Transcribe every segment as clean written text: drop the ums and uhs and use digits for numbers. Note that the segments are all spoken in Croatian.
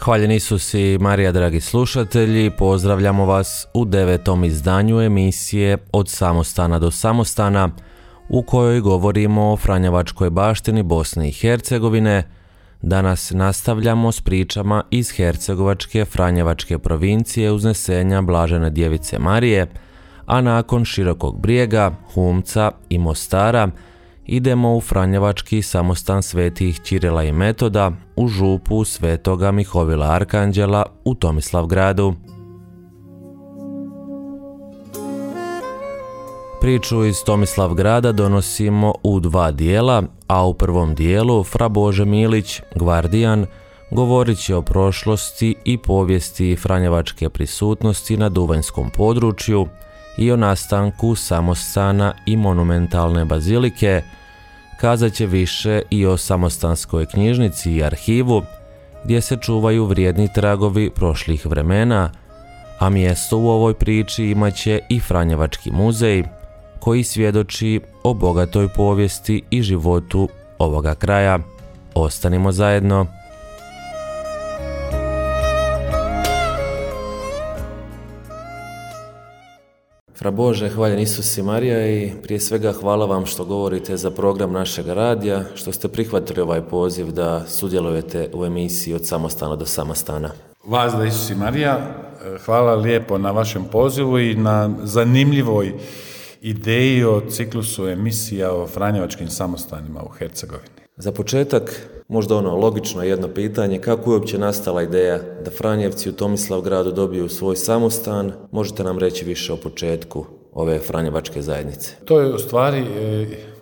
Hvaljeni Isus i Marija, dragi slušatelji, pozdravljamo vas u 9. izdanju emisije Od samostana do samostana, u kojoj govorimo o franjevačkoj baštini Bosne i Hercegovine. Danas nastavljamo s pričama iz hercegovačke franjevačke provincije Uznesenja Blažene Djevice Marije, a nakon Širokog Brijega, Humca i Mostara idemo u franjevački samostan svetih Ćirila i Metoda u župu Svetoga Mihovila Arkanđela u Tomislavgradu. Priču iz Tomislavgrada donosimo u dva dijela, a u prvom dijelu Fra Bože Milić, gvardijan, govorit će o prošlosti i povijesti franjevačke prisutnosti na duvanjskom području i o nastanku samostana i monumentalne bazilike. Kazat će više i o samostanskoj knjižnici i arhivu, gdje se čuvaju vrijedni tragovi prošlih vremena, a mjesto u ovoj priči imat će i Franjevački muzej, koji svjedoči o bogatoj povijesti i životu ovoga kraja. Ostanimo zajedno. Fra Bože, hvaljen Isus i Marija, i prije svega hvala vam što govorite za program našeg radija, što ste prihvatili ovaj poziv da sudjelujete u emisiji Od samostana do samostana. Vas da Isus i Marija, hvala lijepo na vašem pozivu i na zanimljivoj ideji o ciklusu emisija o franjevačkim samostanima u Hercegovini. Za početak, možda logično jedno pitanje, kako je uopće nastala ideja da Franjevci u Tomislavgradu dobiju svoj samostan? Možete nam reći više o početku ove franjevačke zajednice? To je u stvari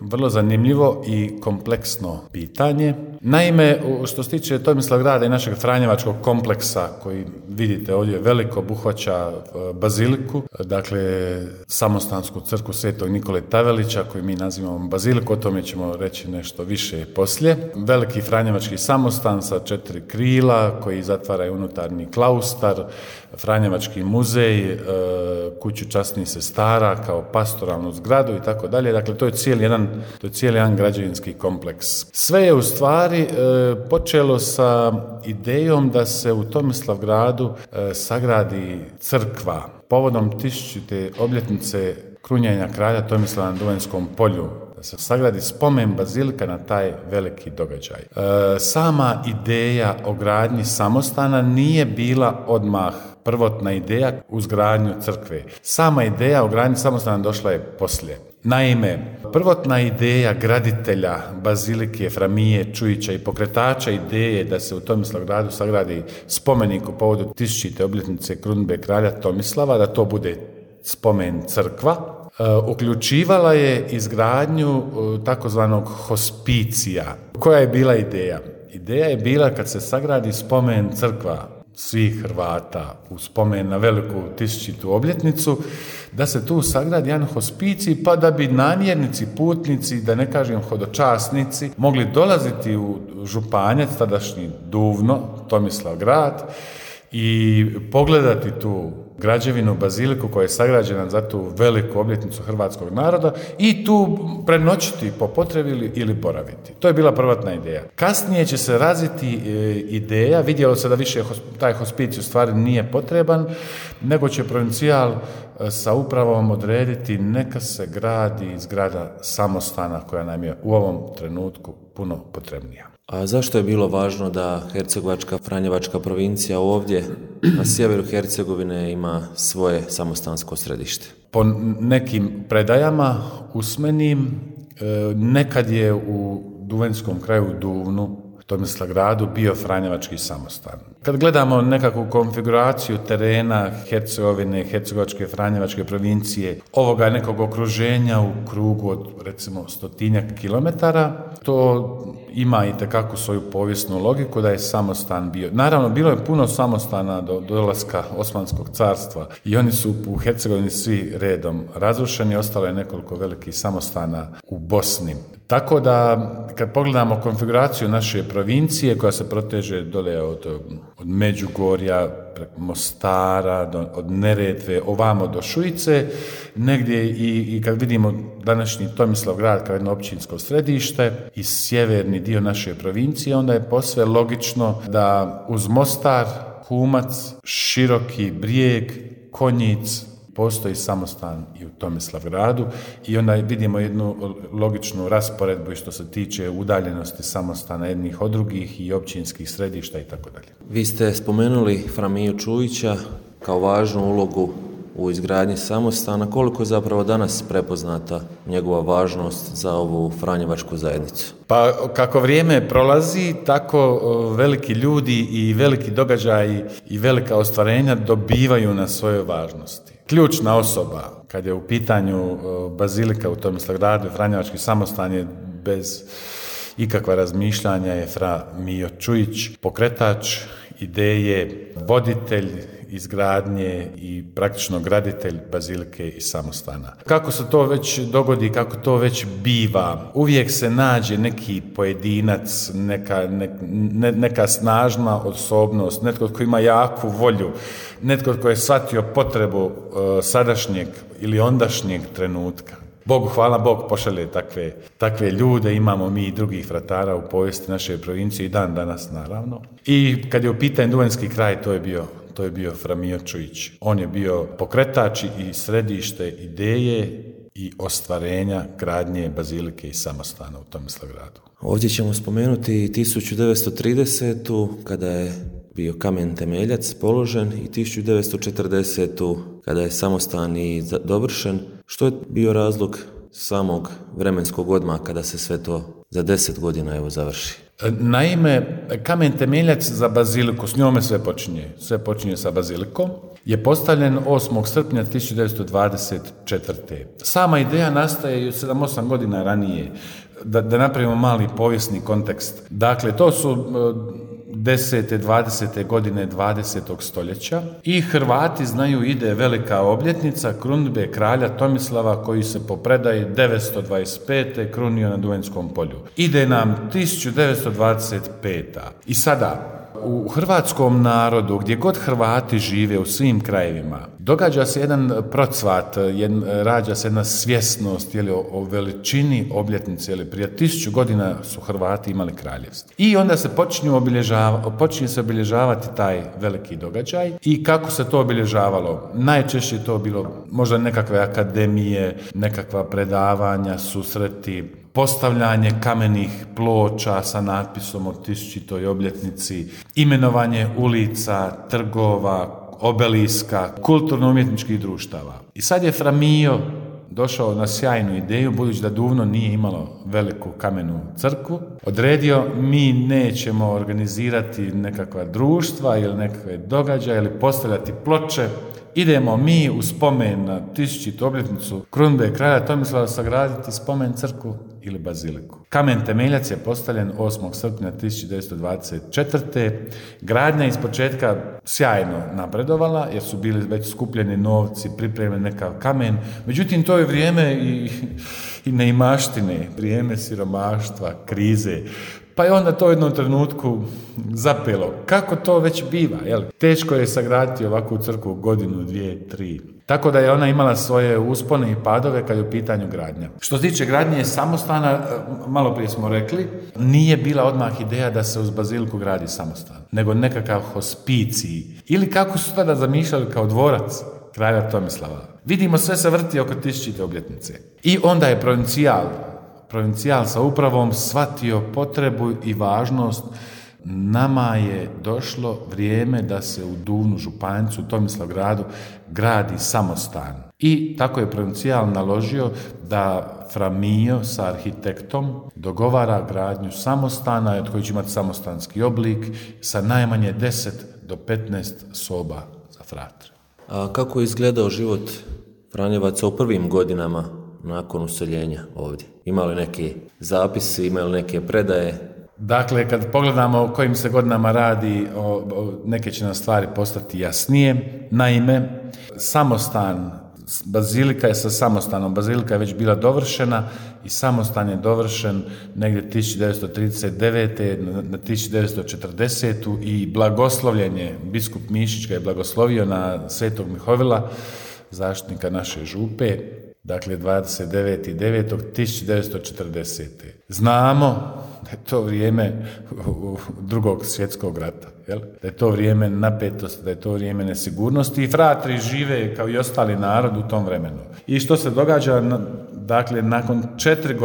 vrlo zanimljivo i kompleksno pitanje. Naime, što se tiče Tomislavgrada i našeg franjevačkog kompleksa, koji vidite ovdje veliko, obuhvaća baziliku, dakle samostansku crkvu Svetog Nikole Tavelića, koju mi nazivamo baziliku, o tome ćemo reći nešto više poslije. Veliki franjevački samostan sa 4 krila koji zatvaraju unutarnji klaustar, Franjevački muzej, kuću časnih sestara kao pastoralnu zgradu i tako dalje. Dakle, to je cijeli jedan građevinski kompleks. Sve je u stvari počelo sa idejom da se u Tomislavgradu sagradi crkva povodom 1000. obljetnice krunjenja kralja Tomislava na Duvanjskom polju. Da se sagradi spomen bazilika na taj veliki događaj. Sama ideja o gradnji samostana nije bila odmah prvotna ideja uz gradnju crkve. Sama ideja o gradnji samostana došla je poslije. Naime, prvotna ideja graditelja bazilike Framije Čujića i pokretača ideje da se u Tomislavgradu sagradi spomenik u povodu 1000. obljetnice krunidbe kralja Tomislava, da to bude spomen crkva, uključivala je izgradnju takozvanog hospicija. Koja je bila ideja? Ideja je bila kad se sagradi spomen crkva svih Hrvata u spomen na veliku 1000. obljetnicu, da se tu sagradi jedan hospicij, pa da bi namjernici, putnici, da ne kažem hodočasnici, mogli dolaziti u Županjac, tadašnji Duvno, Tomislavgrad, i pogledati tu građevinu, baziliku koja je sagrađena za tu veliku obljetnicu hrvatskog naroda i tu prenoćiti po potrebi ili boraviti. To je bila prvotna ideja. Kasnije će se razviti ideja, vidjelo se da više taj hospicij u stvari nije potreban, nego će provincijal sa upravom odrediti neka se gradi zgrada samostana koja nam je u ovom trenutku puno potrebnija. A zašto je bilo važno da hercegovačka franjevačka provincija ovdje na sjeveru Hercegovine ima svoje samostansko središte? Po nekim predajama usmenim, nekad je u duvanjskom kraju Duvnu, Tomislavgradu, bio franjevački samostan. Kad gledamo nekakvu konfiguraciju terena Hercegovine, hercegovačke franjevačke provincije, ovoga nekog okruženja u krugu od recimo 100 kilometara, to ima itekako svoju povijesnu logiku da je samostan bio. Naravno, bilo je puno samostana do dolaska Osmanskog carstva i oni su u Hercegovini svi redom razrušeni, ostalo je nekoliko velikih samostana u Bosni. Tako da kad pogledamo konfiguraciju naše provincije koja se proteže dole od Međugorja, preko Mostara, od Neretve, ovamo do Šujice, negdje i kad vidimo današnji Tomislavgrad kao jedno općinsko središte i sjeverni dio naše provincije, onda je posve logično da uz Mostar, Humac, Široki Brijeg, Konjic, postoji samostan i u Tomislavgradu i onda vidimo jednu logičnu rasporedbu što se tiče udaljenosti samostana jednih od drugih i općinskih središta i tako dalje. Vi ste spomenuli Fra Miju Čujića kao važnu ulogu u izgradnji samostana. Koliko je zapravo danas prepoznata njegova važnost za ovu franjevačku zajednicu? Pa kako vrijeme prolazi, tako veliki ljudi i veliki događaji i velika ostvarenja dobivaju na svojoj važnosti. Ključna osoba, kad je u pitanju bazilika u Tomislavgradu, franjevački samostan je bez ikakva razmišljanja je Fra Mijo Čujić, pokretač ideje, voditelj izgradnje i praktično graditelj bazilike i samostana. Kako se to već dogodi, kako to već biva, uvijek se nađe neki pojedinac, neka snažna osobnost, netko tko ima jaku volju, netko tko je shvatio potrebu sadašnjeg ili ondašnjeg trenutka. Bogu hvala, Bog pošalje takve ljude, imamo mi i drugih fratara u povijesti naše provincije i dan danas naravno. I kad je u pitanju Duvanjski kraj, to je bio Fra Mijo Čujić. On je bio pokretač i središte ideje i ostvarenja gradnje bazilike i samostana u Tomislavgradu. Ovdje ćemo spomenuti 1930. kada je bio kamen temeljac položen i 1940. kada je samostan i dovršen. Što je bio razlog samog vremenskog odmaka kada se sve to za 10 godina završi? Naime, kamen temeljac za baziliku, s njome sve počinje sa bazilikom, je postavljen 8. srpnja 1924. Sama ideja nastaje 7-8 godina ranije, da napravimo mali povijesni kontekst. Dakle, to su 10. 20. godine 20. stoljeća i Hrvati znaju ide velika obljetnica krunidbe kralja Tomislava koji se po predaji 925. krunio na Duvanjskom polju. Ide nam 1925. I sada u hrvatskom narodu, gdje god Hrvati žive u svim krajevima, događa se jedan procvat, rađa se jedna svjesnost o veličini obljetnice. Prije 1000 godina su Hrvati imali kraljevstvo. I onda se počinje se obilježavati taj veliki događaj. I kako se to obilježavalo? Najčešće je to bilo možda nekakve akademije, nekakva predavanja, susreti, postavljanje kamenih ploča sa natpisom o 1000. obljetnici, imenovanje ulica, trgova, obeliska, kulturno-umjetničkih društava. I sad je Fra Mijo došao na sjajnu ideju, budući da Duvno nije imalo veliku kamenu crkvu, odredio mi nećemo organizirati nekakva društva ili nekakve događaje ili postavljati ploče, idemo mi u spomen na 1000. obljetnicu krunidbe kralja Tomislava sagraditi spomen crkvu ili baziliku. Kamen temeljac je postavljen 8. srpnja 1924. Gradnja iz početka sjajno napredovala jer su bili već skupljeni novci, pripremljen nekav kamen. Međutim, to je vrijeme i neimaštine, vrijeme siromaštva, krize. Pa je onda to u jednom trenutku zapelo. Kako to već biva? Teško je sagraditi ovakvu crkvu godinu, 2, 3. Tako da je ona imala svoje uspone i padove kad je u pitanju gradnja. Što se tiče gradnje samostana, malo prije smo rekli, nije bila odmah ideja da se uz baziliku gradi samostan, nego nekakav hospicij. Ili kako su tada zamišljali kao dvorac kralja Tomislava. Vidimo, sve se vrti oko 1000. obljetnice. I onda je provincijal sa upravom shvatio potrebu i važnost. Nama je došlo vrijeme da se u Duvnu županjicu, u Tomislavgradu, gradi samostan. I tako je provincijal naložio da Fra Mijo sa arhitektom dogovara gradnju samostana od koji će imati samostanski oblik sa najmanje 10 do 15 soba za fratre. A kako je izgledao život Franjevaca u prvim godinama nakon useljenja ovdje? Ima li neki zapisi, ima li neke predaje? Dakle, kad pogledamo o kojim se godinama radi, neke će nam stvari postati jasnije. Naime, samostan bazilika je sa samostanom. Bazilika je već bila dovršena i samostan je dovršen negdje 1939. na 1940. i blagoslovljen je, biskup Mišić ga je blagoslovio na Svetog Mihovila, zaštitnika naše župe, dakle 29.9.1940. Znamo da je to vrijeme Drugog svjetskog rata, jel? Da je to vrijeme napetosti, da je to vrijeme nesigurnosti i fratri žive kao i ostali narod u tom vremenu. I što se događa, dakle, nakon 4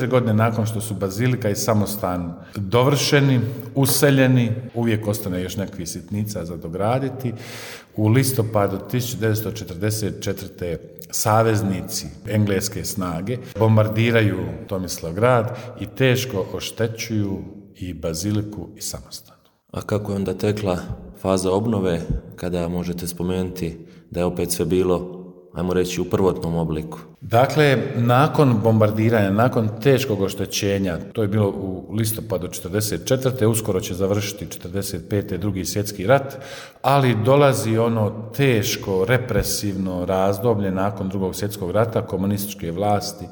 godine nakon što su bazilika i samostan dovršeni, useljeni, uvijek ostane još nekakvih sitnica za dograditi, u listopadu 1944. saveznici engleske snage bombardiraju Tomislavgrad i teško oštećuju i baziliku i samostan. A kako je onda tekla faza obnove, kada možete spomenuti da je opet sve bilo, ajmo reći, u prvotnom obliku? Dakle, nakon bombardiranja, nakon teškog oštećenja, to je bilo u listopadu 1944. Uskoro će završiti 1945. Drugi svjetski rat, ali dolazi ono teško, represivno razdoblje nakon Drugog svjetskog rata, komunističke vlasti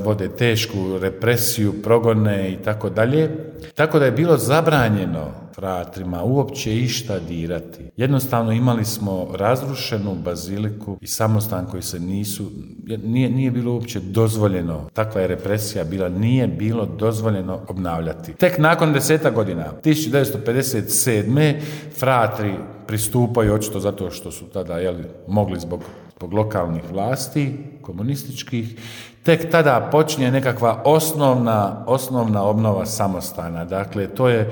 vode tešku represiju, progone i tako dalje. Tako da je bilo zabranjeno fratrima uopće išta dirati. Jednostavno imali smo razrušenu baziliku i samostan koji se nije bilo uopće dozvoljeno, takva je represija bila, nije bilo dozvoljeno obnavljati. Tek nakon 10 godina, 1957. fratri pristupaju, očito zato što su tada mogli zbog lokalnih vlasti, komunističkih, tek tada počinje nekakva osnovna obnova samostana. Dakle, to je,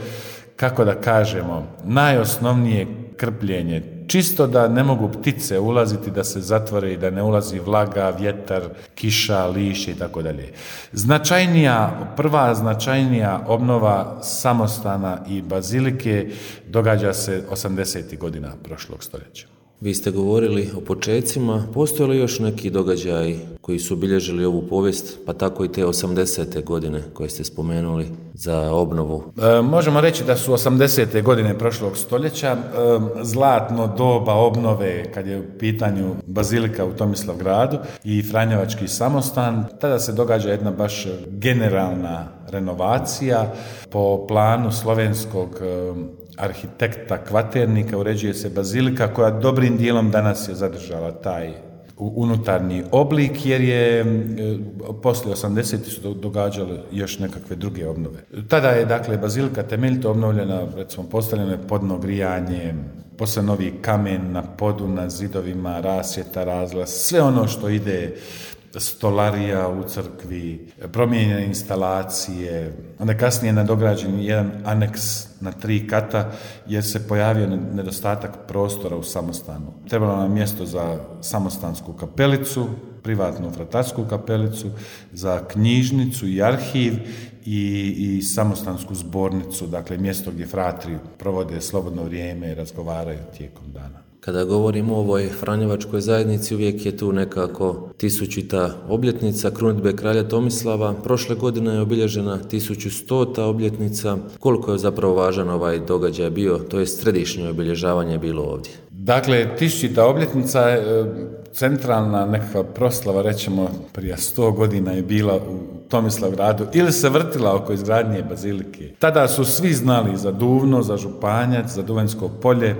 kako da kažemo, najosnovnije krpljenje. Čisto da ne mogu ptice ulaziti, da se zatvore i da ne ulazi vlaga, vjetar, kiša, lišće i tako dalje. Prva značajnija obnova samostana i bazilike događa se 80. godina prošlog stoljeća. Vi ste govorili o počecima, postoje li još neki događaji koji su obilježili ovu povijest, pa tako i te 80. godine koje ste spomenuli za obnovu? Možemo reći da su 80. godine prošlog stoljeća zlatno doba obnove kad je u pitanju bazilika u Tomislavgradu i Franjevački samostan. Tada se događa jedna baš generalna renovacija po planu slovenskog arhitekta Kvaternika, uređuje se bazilika koja dobrim dijelom danas je zadržala taj unutarnji oblik, jer je poslije 80. su događale još nekakve druge obnove. Tada je, dakle, bazilika temeljito obnovljena, recimo postavljeno je podno grijanje, posle novi kamen na podu, na zidovima, rasvjeta, razglas, sve ono što ide, stolarija u crkvi, promijenjene instalacije, onda kasnije nadograđen jedan aneks na 3 kata jer se pojavio nedostatak prostora u samostanu. Trebalo nam mjesto za samostansku kapelicu, privatnu fratarsku kapelicu, za knjižnicu i arhiv i samostansku zbornicu, dakle mjesto gdje fratri provode slobodno vrijeme i razgovaraju tijekom dana. Kada govorimo o ovoj Franjevačkoj zajednici, uvijek je tu nekako 1000. obljetnica krunidbe kralja Tomislava. Prošle godine je obilježena 1100. obljetnica. Koliko je zapravo važan ovaj događaj bio, to je središnje obilježavanje bilo ovdje? Dakle, 1000. obljetnica je centralna nekakva proslava, rećemo, prije 100 godina je bila u Tomislavgradu ili se vrtila oko izgradnje bazilike. Tada su svi znali za Duvno, za Županjac, za Duvanjsko polje,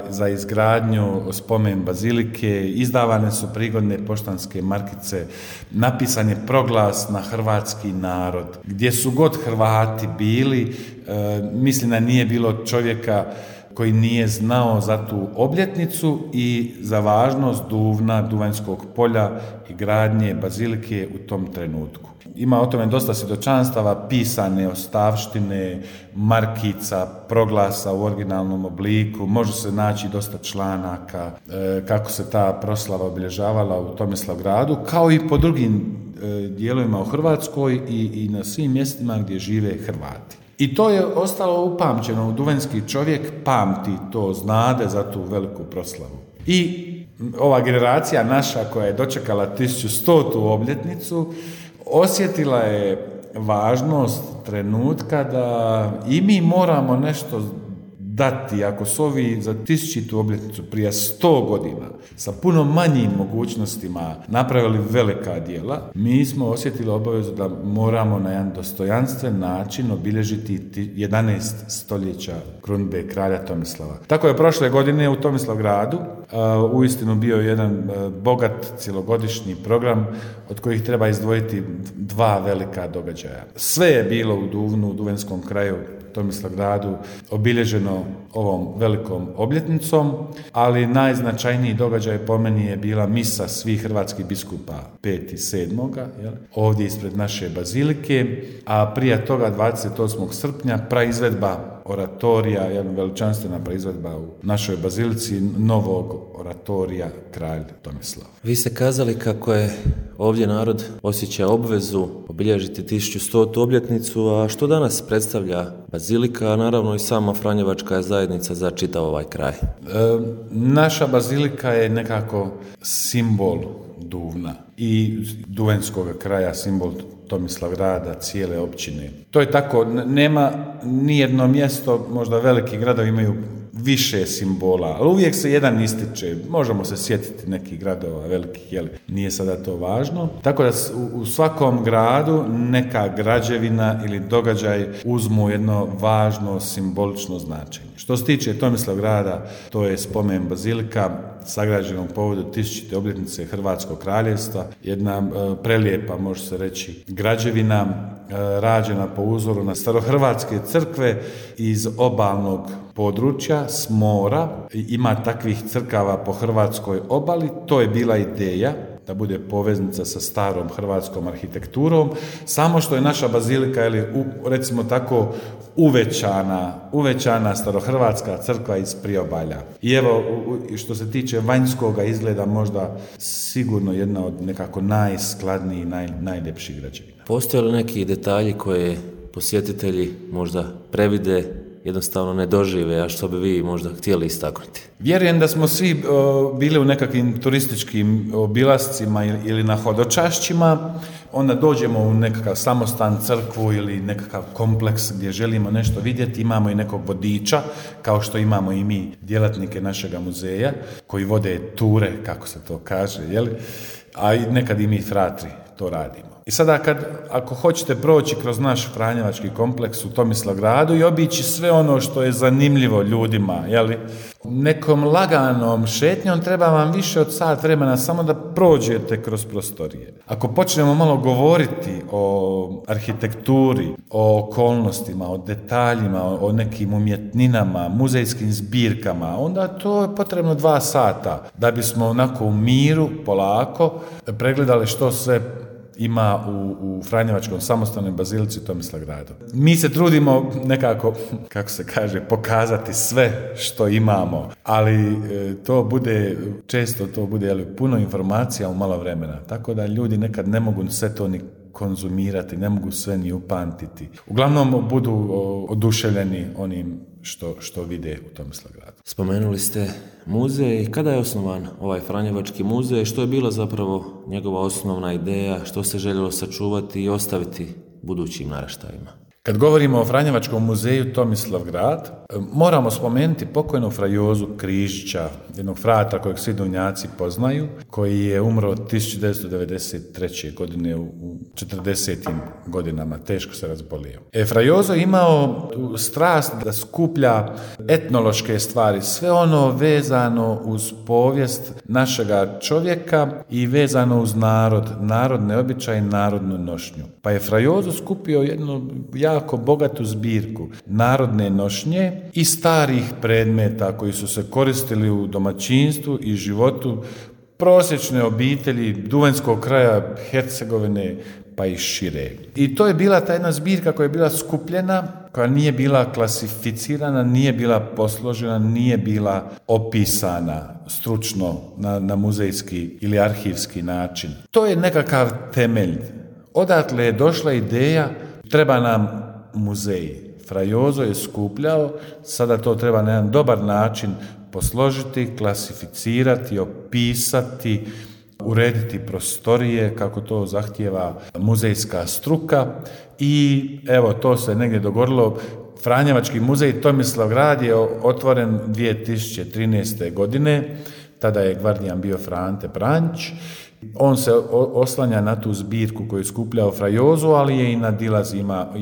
za izgradnju spomen bazilike, izdavane su prigodne poštanske markice, napisan je proglas na hrvatski narod. Gdje su god Hrvati bili, mislim da nije bilo čovjeka koji nije znao za tu obljetnicu i za važnost Duvna, Duvanjskog polja i gradnje bazilike u tom trenutku. Ima o tome dosta svjedočanstava, pisane ostavštine, markica, proglasa u originalnom obliku, može se naći dosta članaka kako se ta proslava obilježavala u Tomislavgradu, kao i po drugim dijelovima u Hrvatskoj i na svim mjestima gdje žive Hrvati. I to je ostalo upamćeno, duvanjski čovjek pamti to, znade za tu veliku proslavu. I ova generacija naša koja je dočekala 1100. obljetnicu osjetila je važnost trenutka da i mi moramo nešto dati, ako su ovi za 1000. obljetnicu prije 100 godina sa puno manjim mogućnostima napravili velika djela, mi smo osjetili obavezu da moramo na jedan dostojanstven način obilježiti 11 stoljeća krunidbe kralja Tomislava. Tako je prošle godine u Tomislavgradu uistinu bio jedan bogat cjelogodišnji program od kojih treba izdvojiti 2 velika događaja. Sve je bilo u Duvnu, u Duvenskom kraju, Tomislavgradu, obilježeno ovom velikom obljetnicom, ali najznačajniji događaj po meni je bila misa svih hrvatskih biskupa 5.7. ovdje ispred naše bazilike, a prije toga 28. srpnja praizvedba oratorija, jedna veličanstvena praizvedba u našoj bazilici novog oratorija Kralj Tomislav. Vi ste kazali kako je ovdje narod osjeća obvezu obilježiti 1100. obljetnicu, a što danas predstavlja bazilika, a naravno i sama Franjevačka zajednica za čitav ovaj kraj? Naša bazilika je nekako simbol Duvna i Duvenskog kraja, simbol Tomislavgrada, cijele općine. To je tako, nema nijedno mjesto, možda veliki gradovi imaju više simbola, ali uvijek se jedan ističe. Možemo se sjetiti nekih gradova velikih, nije sada to važno. Tako da u svakom gradu neka građevina ili događaj uzmu jedno važno simbolično značenje. Što se tiče Tomislavgrada, to je spomen bazilika sagrađenog povodu 1000. obljetnice Hrvatskog kraljevstva, jedna prelijepa, može se reći, građevina rađena po uzoru na starohrvatske crkve iz obalnog područja, s mora. Ima takvih crkava po hrvatskoj obali, to je bila ideja da bude poveznica sa starom hrvatskom arhitekturom, samo što je naša bazilika, recimo tako, uvećana starohrvatska crkva iz priobalja. I evo, što se tiče vanjskoga izgleda, možda sigurno jedna od nekako najskladnijih, najljepših građevina. Postoje li neki detalji koje posjetitelji možda previde, jednostavno ne dožive, a što bi vi možda htjeli istaknuti? Vjerujem da smo svi bili u nekakvim turističkim obilascima ili na hodočašćima, onda dođemo u nekakav samostan, crkvu ili nekakav kompleks gdje želimo nešto vidjeti, imamo i nekog vodiča, kao što imamo i mi djelatnike našega muzeja, koji vode ture, kako se to kaže, a i nekad i mi fratri to radimo. I sada ako hoćete proći kroz naš Franjevački kompleks u Tomislavgradu i obići sve ono što je zanimljivo ljudima, nekom laganom šetnjom treba vam više od sat vremena samo da prođete kroz prostorije. Ako počnemo malo govoriti o arhitekturi, o okolnostima, o detaljima, o nekim umjetninama, muzejskim zbirkama, onda to je potrebno 2 sata da bismo onako u miru, polako, pregledali što sve ima u Franjevačkom samostalnoj bazilici u Tomislavgradu. Mi se trudimo nekako, kako se kaže, pokazati sve što imamo, ali često to bude puno informacija u malo vremena, tako da ljudi nekad ne mogu sve to ni konzumirati, ne mogu sve ni upamtiti. Uglavnom budu oduševljeni onim što vide u Tomislavgradu. Spomenuli ste muzej. Kada je osnovan ovaj Franjevački muzej? Što je bila zapravo njegova osnovna ideja? Što se željelo sačuvati i ostaviti budućim naraštajima? Kad govorimo o Franjevačkom muzeju Tomislavgrad, moramo spomenuti pokojnog fra Jozu Križića, jednog fratra kojeg svi Duvnjaci poznaju, koji je umro 1993. godine u 40. godinama, teško se razbolio. Fra Jozo imao strast da skuplja etnološke stvari, sve ono vezano uz povijest našega čovjeka i vezano uz narodne običaje, narodnu nošnju. Pa je fra Jozo skupio jednu jako bogatu zbirku narodne nošnje i starih predmeta koji su se koristili u domaćinstvu i životu prosječne obitelji Duvenskog kraja, Hercegovine pa i šire. I to je bila ta jedna zbirka koja je bila skupljena, koja nije bila klasificirana, nije bila posložena, nije bila opisana stručno na muzejski ili arhivski način. To je nekakav temelj. Odatle je došla ideja, treba nam muzej. Fra Jozo je skupljao, sada to treba na jedan dobar način posložiti, klasificirati, opisati, urediti prostorije kako to zahtijeva muzejska struka i evo to se negdje dogodilo. Franjevački muzej Tomislavgrad je otvoren 2013. godine, tada je gvardijan bio Frante Pranjić. On se oslanja na tu zbirku koju je skupljao Frajozu, ali je i nadilaz,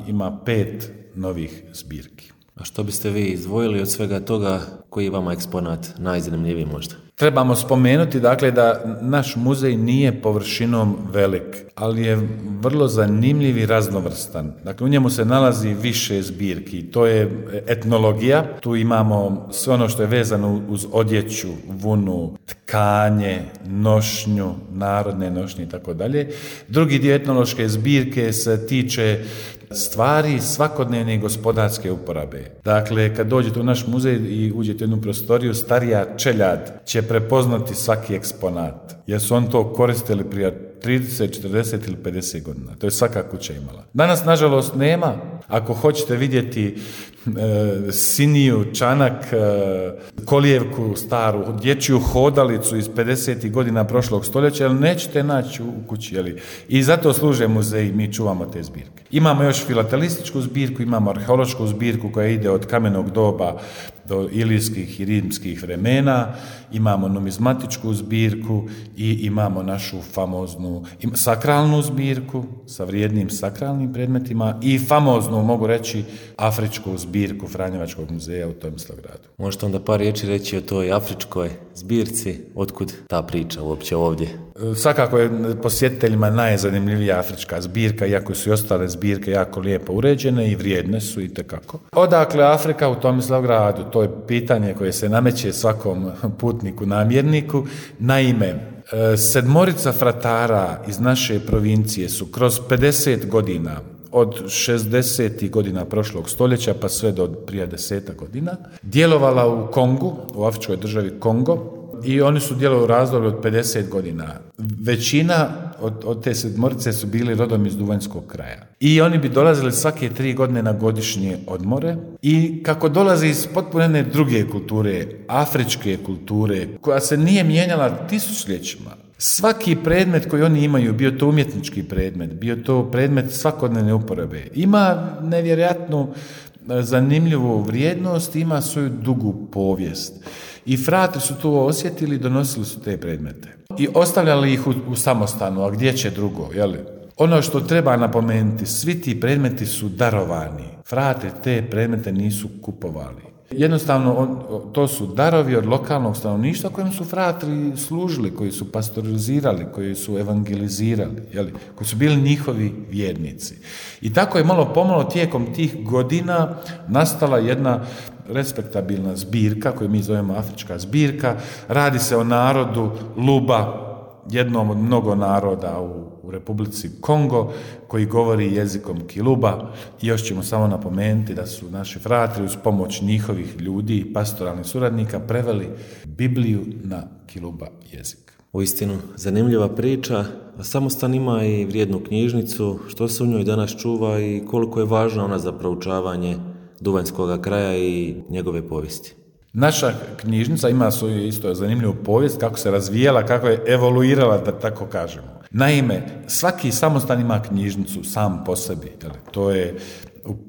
ima 5 novih zbirki. A što biste vi izdvojili od svega toga, koji je vama eksponat najzanimljiviji možda? Trebamo spomenuti dakle da naš muzej nije površinom velik, ali je vrlo zanimljiv i raznovrstan. Dakle, u njemu se nalazi više zbirki. To je etnologija, tu imamo sve ono što je vezano uz odjeću, vunu, tkanje, nošnju, narodne nošnje i tako dalje. Drugi dio etnološke zbirke se tiče stvari svakodnevne gospodarske uporabe. Dakle, kad dođete u naš muzej i uđete u jednu prostoriju, starija čeljad će prepoznati svaki eksponat, jer su on to koristili prije 30, 40 ili 50 godina. To je svaka kuća imala. Danas, nažalost, nema. Ako hoćete vidjeti siniju, čanak, kolijevku staru, dječju hodalicu iz 50. godina prošlog stoljeća, ali nećete naći u kući. I zato služe muzeji, mi čuvamo te zbirke. Imamo još filatelističku zbirku, imamo arheološku zbirku koja ide od kamenog doba do ilijskih i rimskih vremena, imamo numizmatičku zbirku i imamo našu famoznu sakralnu zbirku sa vrijednim sakralnim predmetima i famoznu, mogu reći, afričku zbirku Franjevačkog muzeja u Tomislavgradu. Možete onda par riječi reći o toj afričkoj zbirci, otkud ta priča uopće ovdje? Svakako je posjetiteljima najzanimljivija afrička zbirka, iako su i ostale zbirke jako lijepo uređene i vrijedne su itekako. Odakle Afrika u Tomislavgradu? To je pitanje koje se nameće svakom putniku, namjerniku. Naime, 7 fratara iz naše provincije su kroz 50 godina, od 60. godina prošlog stoljeća pa sve do prije 10 godina, djelovala u Kongu, u afričkoj državi Kongo, i oni su djelovali u razdoblju od 50 godina. Većina od te 7 su bili rodom iz Duvanjskog kraja. I oni bi dolazili svake 3 godine na godišnje odmore i kako dolaze iz potpuno jedne druge kulture, afričke kulture, koja se nije mijenjala tisućljećima, svaki predmet koji oni imaju, bio to umjetnički predmet, bio to predmet svakodnevne uporabe, ima nevjerojatnu zanimljivu vrijednost, ima svoju dugu povijest. I fratri su to osjetili i donosili su te predmete. I ostavljali ih u samostanu, a gdje će drugo, jel? Ono što treba napomenuti, svi ti predmeti su darovani. Fratri te predmete nisu kupovali. Jednostavno, to su darovi od lokalnog stanovništva kojim su fratri služili, koji su pastorizirali, koji su evangelizirali, koji su bili njihovi vjernici. I tako je malo pomalo tijekom tih godina nastala jedna respektabilna zbirka, koju mi zovemo afrička zbirka. Radi se o narodu Luba, jednom od mnogo naroda u Republici Kongo, koji govori jezikom Kiluba. I još ćemo samo napomenuti da su naši fratri uz pomoć njihovih ljudi i pastoralnih suradnika preveli Bibliju na Kiluba jezik. Uistinu zanimljiva priča. Samostan ima i vrijednu knjižnicu. Što se u njoj danas čuva i koliko je važna ona za proučavanje Duvanjskog kraja i njegove povijesti? Naša knjižnica ima svoju isto zanimljivu povijest, kako se razvijala, kako je evoluirala, da tako kažemo. Naime, svaki samostan ima knjižnicu sam po sebi. To je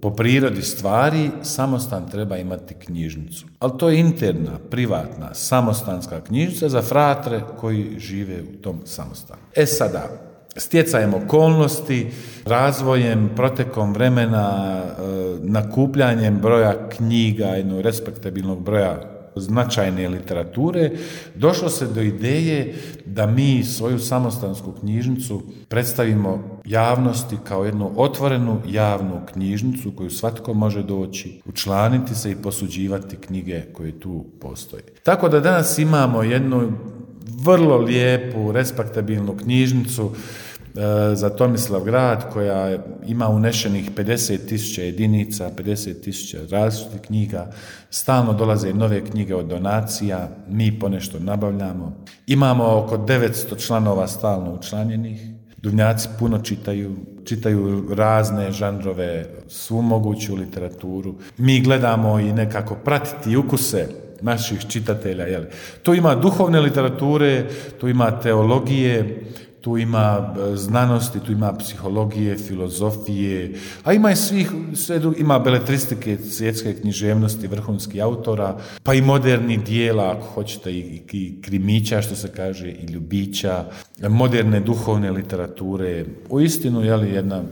po prirodi stvari, samostan treba imati knjižnicu. Ali to je interna, privatna, samostanska knjižnica za fratre koji žive u tom samostanu. Sada, stjecajem okolnosti, razvojem, protekom vremena, nakupljanjem broja knjiga, jednog respektabilnog broja značajne literature, došlo se do ideje da mi svoju samostansku knjižnicu predstavimo javnosti kao jednu otvorenu javnu knjižnicu koju svatko može doći, učlaniti se i posuđivati knjige koje tu postoje. Tako da danas imamo jednu vrlo lijepu, respektabilnu knjižnicu za Tomislavgrad koja ima unešenih 50.000 jedinica, 50.000 različitih knjiga, stalno dolaze nove knjige od donacija, mi ponešto nabavljamo. Imamo oko 900 članova stalno učlanjenih, Duvnjaci puno čitaju razne žanrove, svu moguću literaturu. Mi gledamo i nekako pratiti ukuse naših čitatelja. Tu ima duhovne literature, tu ima teologije, tu ima znanosti, tu ima psihologije, filozofije, a ima i ima beletristike, svjetske književnosti, vrhunskih autora, pa i modernih dijela, ako hoćete, i krimića, što se kaže, i ljubića, moderne duhovne literature. Uistinu, jedna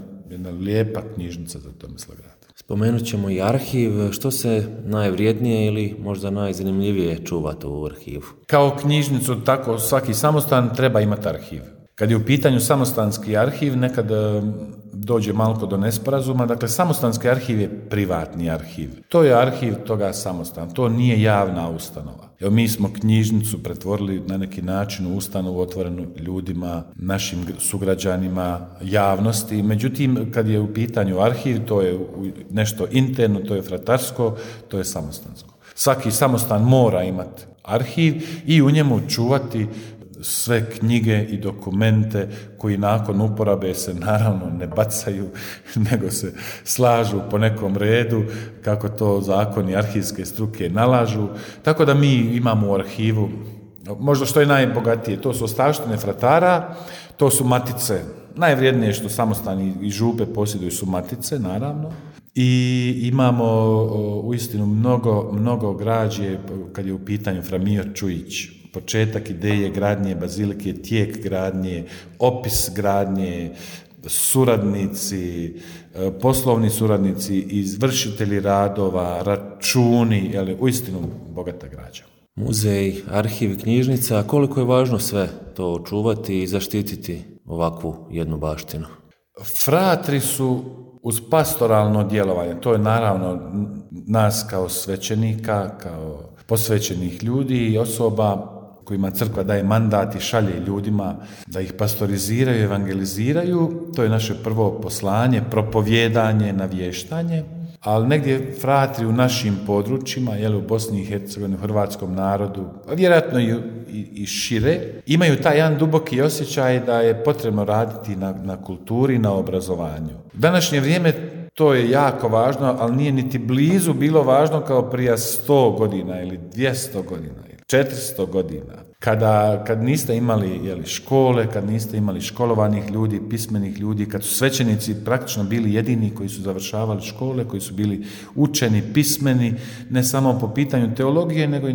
lijepa knjižnica za Tomislav Grad. Spomenut ćemo i arhiv. Što se najvrijednije ili možda najzanimljivije čuvati u arhivu? Kao knjižnicu, tako svaki samostan treba imati arhiv. Kad je u pitanju samostanski arhiv, nekad dođe malo do nesporazuma. Dakle, samostanski arhiv je privatni arhiv. To je arhiv toga samostana. To nije javna ustanova. Evo, mi smo knjižnicu pretvorili na neki način u ustanovu otvorenu ljudima, našim sugrađanima, javnosti. Međutim, kad je u pitanju arhiv, to je nešto interno, to je fratarsko, to je samostansko. Svaki samostan mora imati arhiv i u njemu čuvati sve knjige i dokumente koji nakon uporabe se naravno ne bacaju, nego se slažu po nekom redu, kako to zakoni arhivske struke nalažu. Tako da mi imamo u arhivu, možda što je najbogatije, to su ostavštine fratara, to su matice. Najvrijednije što samostani i župe posjeduju su matice, naravno. I imamo uistinu mnogo građe kad je u pitanju Fra Mio Čujić. Početak ideje gradnje bazilike, tijek gradnje, opis gradnje, suradnici, poslovni suradnici, izvršitelji radova, računi, uistinu bogata građa. Muzej, arhiv, knjižnica, koliko je važno sve to očuvati i zaštititi ovakvu jednu baštinu? Fratri su uz pastoralno djelovanje, to je naravno nas kao svećenika, kao posvećenih ljudi i osoba kojima crkva daje mandat i šalje ljudima da ih pastoriziraju, evangeliziraju. To je naše prvo poslanje, propovijedanje, navještanje. Ali negdje fratri u našim područjima, u Bosni i Hercegovini, u hrvatskom narodu, a vjerojatno i šire, imaju taj jedan duboki osjećaj da je potrebno raditi na kulturi, na obrazovanju. U današnje vrijeme to je jako važno, ali nije niti blizu bilo važno kao prije 100 godina ili 200 godina ili 400 godina. Kad niste imali škole, kad niste imali školovanih ljudi, pismenih ljudi, kad su svećenici praktično bili jedini koji su završavali škole, koji su bili učeni, pismeni, ne samo po pitanju teologije, nego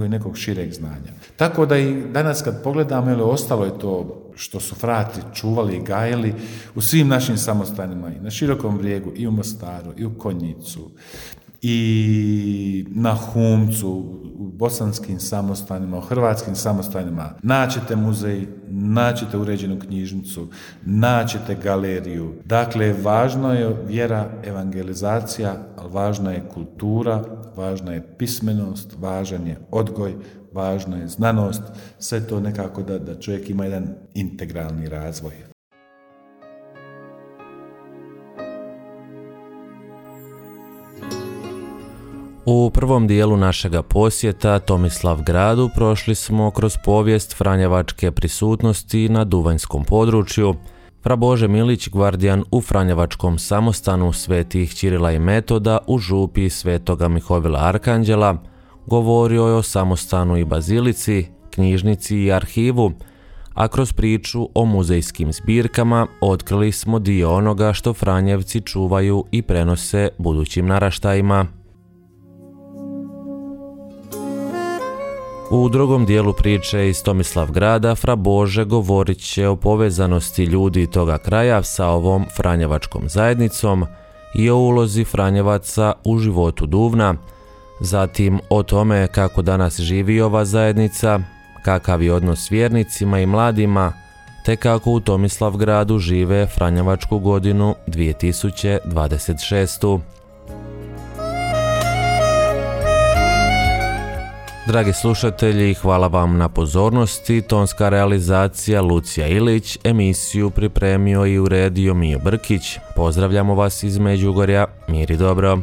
i nekog šireg znanja. Tako da i danas kad pogledamo, ostalo je to što su fratri čuvali i gajili u svim našim samostanima, i na Širokom Brijegu, i u Mostaru, i u Konjicu, i na Humcu, u bosanskim samostanima, u hrvatskim samostanima. Naćete muzej, naćete uređenu knjižnicu, naćete galeriju. Dakle, važno je vjera, evangelizacija, ali važna je kultura, važna je pismenost, važan je odgoj, važna je znanost. Sve to nekako da čovjek ima jedan integralni razvoj. U prvom dijelu našega posjeta Tomislav Gradu prošli smo kroz povijest franjevačke prisutnosti na duvanjskom području. Fra Bože Milić, gvardijan u franjevačkom samostanu svetih Ćirila i Metoda u župi svetoga Mihovila Arkanđela, govorio je o samostanu i bazilici, knjižnici i arhivu, a kroz priču o muzejskim zbirkama otkrili smo dio onoga što Franjevci čuvaju i prenose budućim naraštajima. U drugom dijelu priče iz Tomislav Grada Fra Bože govorit će o povezanosti ljudi toga kraja sa ovom franjevačkom zajednicom i o ulozi Franjevaca u životu Duvna, zatim o tome kako danas živi ova zajednica, kakav je odnos s vjernicima i mladima, te kako u Tomislav Gradu žive Franjevačku godinu 2026. Dragi slušatelji, hvala vam na pozornosti. Tonska realizacija Lucija Ilić, emisiju pripremio i uredio Mio Brkić. Pozdravljamo vas iz Međugorja, mir i dobro.